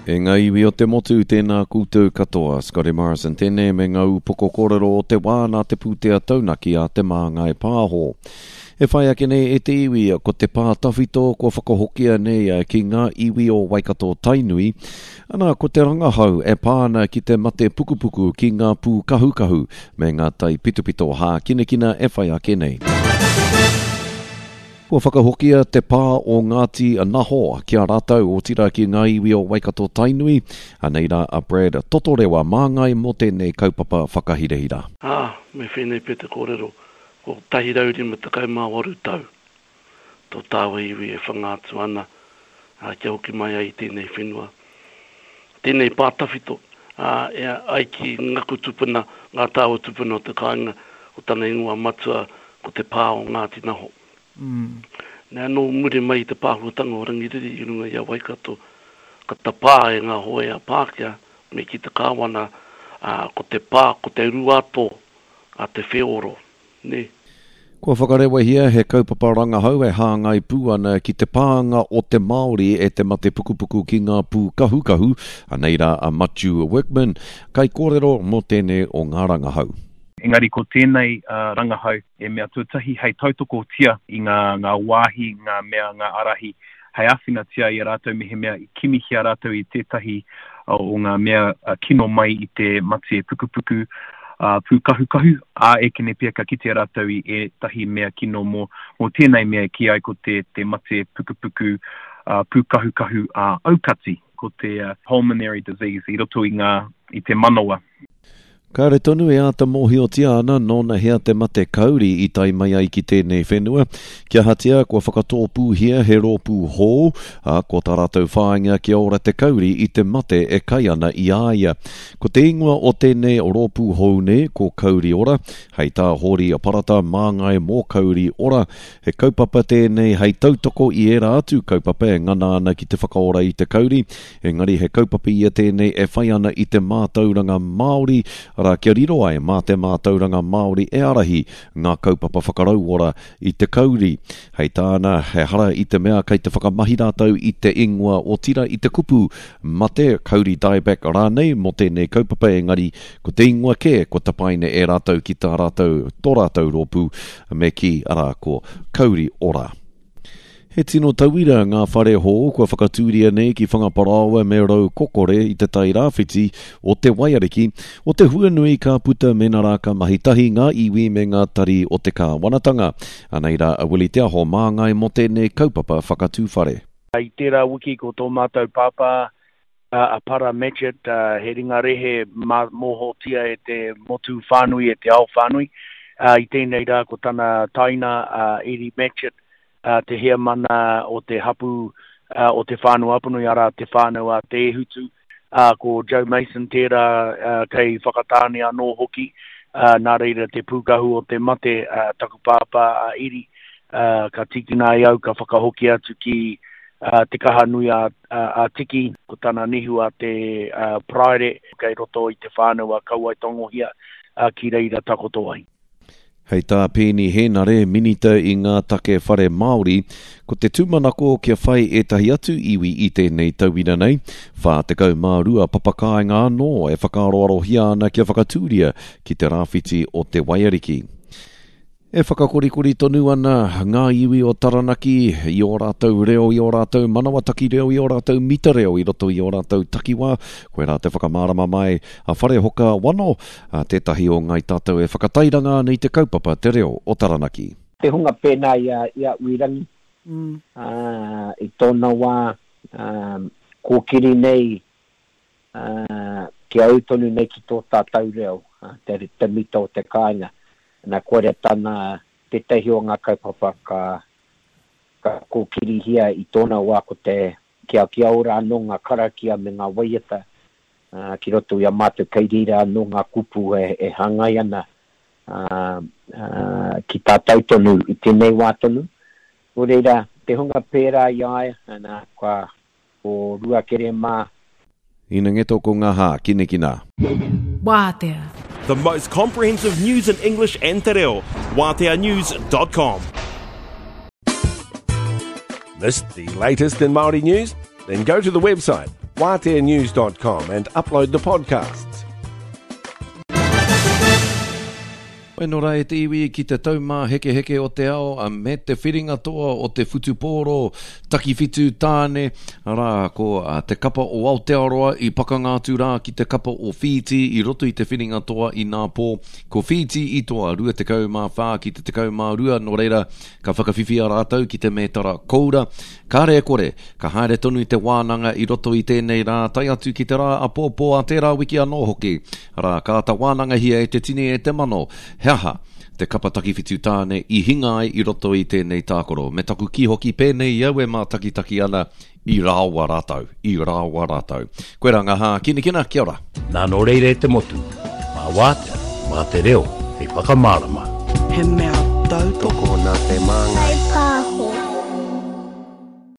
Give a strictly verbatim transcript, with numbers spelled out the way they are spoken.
E ngā iwi o te motu, tēnā koutou katoa. Scotty Morrison tēnei me ngā upoko kōrero o te wā nā te pūtea taunaki a Te Māngai Pāho. E whai ake nei e te iwi, ko te pā tawhito kua whakahokia nei ki ngā iwi o Waikato Tainui. Ana, ko te rangahau e pā ana ki te mate pukupuku ki ngā pūkahukahu me ngā tai pitopito hākinakina e whai ake nei. Kua whakahokia te pā o Ngāti Naho ki a rātou otirā ki ngā iwi o Waikato Tainui. Anei rā a Brad Totorewa māngai mō tēnei kaupapa whakahirahira. Ā, me whēnei pea te kōrero, ko tahi rau rima tekau mā waru tau tō tāua iwi e whanga atu ana, ā, kia hoki mai ai i tēnei whenua, tēnei pā tawhito, ā, e ai ki ngaku tupuna, ngā tāua tupuna o te kāinga, ko tana ingoa matua ko te pā o Ngāti Naho. Mm. Nā, nō muri mai i te pāhuatanga o Rangiriri i runga i a Waikato, ka tapā e ngā hōia Pākehā me ki te kāwana, ā, ko te pā, ko te ruato a te wheoro, nē. Kua whakarewahia he kaupapa rangahau e hāngai pū ana ki te pānga o te Māori e te mate pukupuku ki ngā pūkahukahu, anei rā a Matiu Workman, kaikōrero mō tēnei o ngā rangahau. Engari ko tēnei uh, rangahau e mea tuatahi hei tautokotia i ngā, ngā wāhi, ngā mea, ngā arahi, hei āwhinatia i a rātou mehemea i kimihia rātou i tētahi o ngā mea kino mai i te mate pukupuku uh, pūkahukahu, ā ekene pea ka kitea rātou i ētahi mea kino mō, mō tēnei mea ki ai ko te, te mate pukupuku uh, pūkahukahu uh, aukati, ko te uh, pulmonary disease i roto i, ngā, i te manawa. Kāre tonu e āta mōhiotia ana nōna hea te mate kauri i tae mai ai ki tēnei whenua. Kia ahatia kua whakatōpūhia he rōpū hou, ā, ko tā rātou whāinga kia ora te kauri i te mate e kai ana i a ia. Ko te ingoa o tēnei rōpū hou nei ko Kauri Ora, hei tā Hōri Parata māngai mō Kauri Ora. He kaupapa tēnei hei tautoko i ērā atu kaupapa e ngana ana ki te whakaora i te kauri, engari he kaupapa ia tēnei e whai ana i te mātauranga Māori, arā kia riro ai mā te mātauranga Māori e ārahi ngā kaupapa whakarauora i te kauri. Hei tāna, he hara i te mea kei te whakamahi rātou i te ingoa otira i te kupu mate, kauri dieback rānei mō tēnei kaupapa, engari ko te ingoa kē kua tapaina e rātou ki tā rātou, tō rātou rōpū me kī, arā ko Kauri Ora. He tino tauira ngā whare hou kua whakatūria nei ki Whangaparaoa me Raukokore i te tai rāwhiti o te Waiariki, o te huanui ka puta mena rā ka mahi tahi ngā iwi me ngā tari o te kāwanatanga. Anei rā a Willie Te Aho māngai mō tēnei kaupapa whakatū whare. I tērā wiki ko tō mātou pāpā a Para Matchitt, he ringa rehe mōhotia e te motu whānui, e te ao whānui. I tēnei rā ko tana taina a Eddie Matchitt, te heamana o te hapu o Te Whānau Apanui, arā te whānau a Te Ehutu, ko Joe Mason tērā kei Whakatāne anō hoki, nā reira te pūkahu o te mate, taku pāpā a Eri, ka tīkina e au, ka whakahoki atu ki te kaha nui a, a, a Tiki, ko tana nihu a te Paraire, kei roto i te whānau a Kauaetangohia, ki reira takoto ai. Hei tā Peeni Hēnare, minita i ngā take whare Māori, ko te tūmanako kia whai ētahi atu iwi i tēnei tauira nei, whā tekau mā rua papakāinga anō e whakaaroarohia ana kia whakatūria ki te rāwhiti o te Waiariki. E whakakorikori tonu ana ngā iwi o Taranaki i ō rātou reo, i ō rātou manawataki reo, i ō rātou mita reo, i roto i ō rātou takiwā. Koirā te whakamārama mai a Wharehoka Wano, a tētahi o Ngai Tātou e whakatairanga ana i te kaupapa te reo o Taranaki. Te hunga pēnā i a, i a Uirangi, mm. uh, i tōna wā, uh, kōkiri nei, uh, kia au tonu nei ki tō tātou reo, uh, te, te mita o te kāinga. Nā koira tana tētahi o ngā kaupapa ka, ka kōkirihia i tōna wā ko te kia, kia ora anō ngā karakia me ngā waiata uh, ki roto i a mātou kei reira anō ngā kupu e, e hāngai ana uh, uh, ki tātou tonu i tēnei wā tonu. Nō reira, te hunga pērā i a ia, nā, kua ko Ruakere mā. Ina ngeto ko ngā hā, kinekina. Wātea. The most comprehensive news in English and te reo. Wātea news dot com. Missed the latest in Māori news? Then go to the website waatea news dot com and upload the podcasts. Weno rā e te iwi ki te taumāhekeheke o te ao me te whiringa toa o te whutupōro takiwhitu tāne, arā ko te kapa o Aotearoa i pakanga atu rā ki te kapa o Whītī i roto i te whiringa toa i nā pō. Ko Whītī i toa rua tekau mā whā ki te tekau mā rua, nō reira ka whakawhiwhia rātou ki te mētara koura. Kāre e kore, ka haere tonu te wānanga i roto i tēnei rā, tae atu ki te rā apōpō a tērā wiki anō hoki. Arā, ka āta wānangahia e te tini e te mano. He aha te kapa takiwhitu tāne i hinga ai i roto i tēnei tākaro. Me taku kī hoki pēnei i au e mātakitaki ana i rāoa rātou, i rāoa rātou. Koe rā ngā hākinakina, kia ora. Nā nō reira e te motu, mā wātea, mā te reo, hei whakamārama. He mea tautoko nā te māngai.